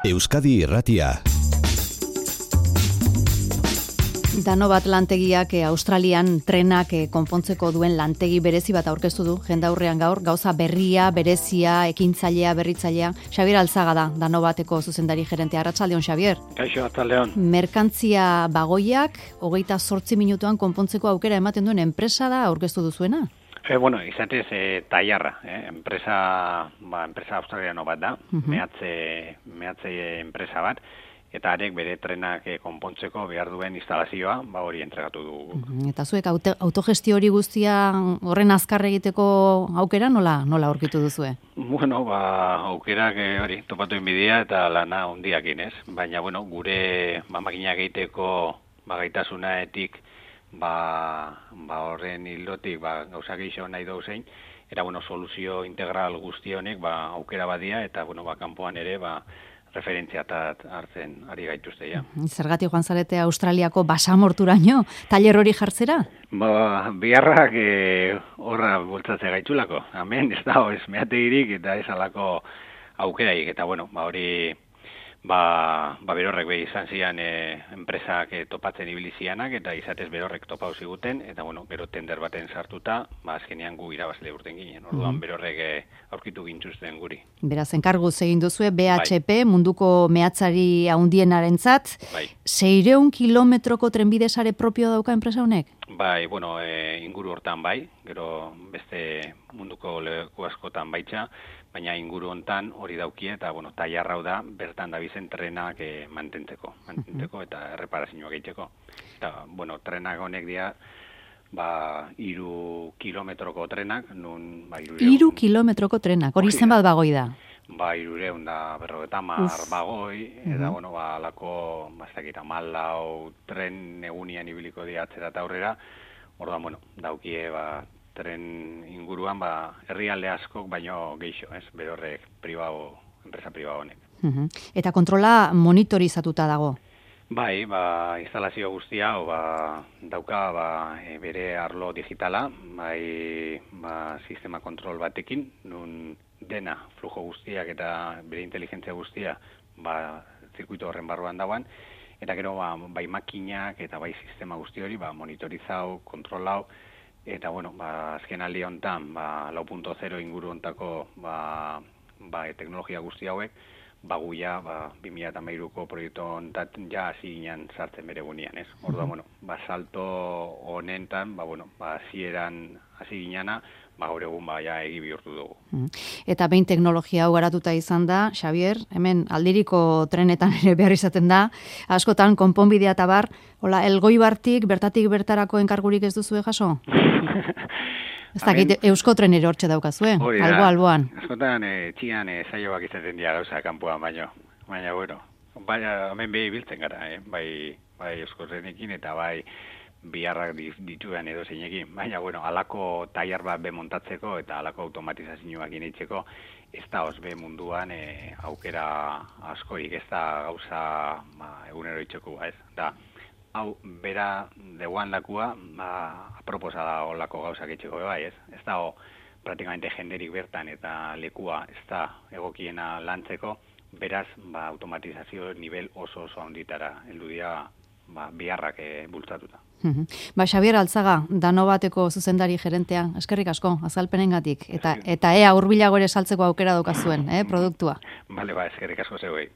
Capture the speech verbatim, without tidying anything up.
Euskadi Irratia. Danobat lantegiak eh, Australian trenak eh, konpontzeko duen lantegi berezi bat aurkeztu du jendaurrean gaur, gauza berria, berezia, ekintzailea, berritzailea. Xabier Alzaga da, Danobateko zuzendari gerentea. Arratsaldeon, Xabier. Kaixo, arratsaldeon. Merkantzia bagoiak hogeita zortzi minutuan konpontzeko aukera ematen duen enpresa da aurkeztu duzuena? E, bueno, izatez e, taiarra, eh? enpresa, ba, enpresa australiano bat da, uh-huh. mehatze, mehatze enpresa bat, eta arek bere trenak e, konpontzeko behar duen instalazioa, ba hori entregatu dugu. Uh-huh. Eta zuek auto, autogestio hori guztia horren azkar egiteko aukera nola nola aurkitu duzue? Bueno, ba, aukerak e, hori topatu inbidia eta lana hondiakin, ez? Baina, bueno, gure ba, makinak egiteko ba, gaitasunaetik, ba, ba horren hildotik ba, gauza gehiago nahi dauzein, eta bueno, soluzio integral guzti honek ba, aukera badia, eta bueno, ba, kanpoan ere ba, referentziatat hartzen ari gaituzte ja. Zergatik joan zarete Australiako basamorturaino, tailer hori jartzera? Ba, biharrak e, horra bultzatze gaitzulako. Hemen ez da, ez meategirik eta ez alako aukeraik, eta bueno, ba hori Ba, ba berorrek behi izan zian e, enpresak e, topatzen ibilizianak eta izatez berorrek topau ziguten eta bueno, gero tender baten sartuta, ba azkenean gu irabazle urten ginen. Orduan mm. berorrek e, aurkitu gintzuzten guri. Beraz, enkarguz egin duzue B H P, bai. Munduko mehatzari handienarentzat, bai. seiehun kilometroko trenbide sare propio dauka enpresa honek? Bai, bueno, e, inguru hortan bai, gero beste munduko leku askotan baitza, baina inguru hontan hori daukie eta bueno, taiarrau da bertan dabizen trenak e, mantentzeko, mantentzeko uh-huh. eta erreparazioak egiteko. Eta bueno, trenak honek dira ba hiru kilometroko trenak, nun ba hiru kilometroko trenak. Hori zenbat bagoi da? Ba hiruehun da berrogeita hamar bagoi eta uh-huh. bueno, ba alako ba ez dakit hamalau tren egunian ibiliko dira atzera eta aurrera. Orduan bueno, daukie ba tren inguruan ba herrialde askok baino geixo, ez? Berorrek pribao, enpresa pribao honek. Uh-huh. Eta kontrola monitorizatuta dago. Bai, ba instalazio guztia o ba dauka ba e, bere arlo digitala, bai ba sistema kontrol batekin, nun dena flujo guztiak eta bere inteligentzia guztia ba zirkuito horren barruan dagoan. Eta gero ba, bai makinak eta bai sistema guzti hori ba monitorizau, kontrolau. Eta bueno, ba azken aldi hontan, ba lau puntu zero inguru hontako ba ba e, teknologia guzti hauek ba guia ba bi mila hamairuko proiektu hontan ja hasi ginen sartzen bere gunean, ez? Orduan, bueno, ba salto honentan, ba bueno, ba hasieran hasi ginena, ba gaur egun ba ja egi bihurtu dugu. Eta behin teknologia hau garatuta izan da, Xabier, hemen aldiriko trenetan ere behar izaten da, askotan konponbidea eta bar, hola, Elgoibartik bertatik bertarako enkargurik ez duzue jaso? Ez dakit, Eusko Trenero hortxe daukazue, albo alboan. Askotan, e, txian e, saioak izaten dira gauza kanpoan baino, baina bueno, baina hemen behi biltzen gara, eh? bai, bai Eusko Trenekin eta bai biharrak dituan edo zeinekin, baina bueno, alako taiar bat be montatzeko eta alako automatizazioak initzeko, ez da osbe munduan e, aukera askorik, ez da gauza ba, egunero itxeko, ez da, hau, bera deuan lakua, ba, aproposa da olako gauzak etxeko, bai, ez? Ez da, o, praktikamente jenderik bertan eta lekua ez da egokiena lantzeko, beraz, ba, automatizazio nivel oso oso handitara, heldu dira, ba, biharrak e, bultzatuta. Uh-huh. Ba, Xabier Alzaga, Danobateko zuzendari gerentea, eskerrik asko, azalpenengatik, eta, eta ea hurbilago ere saltzeko aukera daukazuen, eh, produktua. Bale, ba, eskerrik asko zeuei.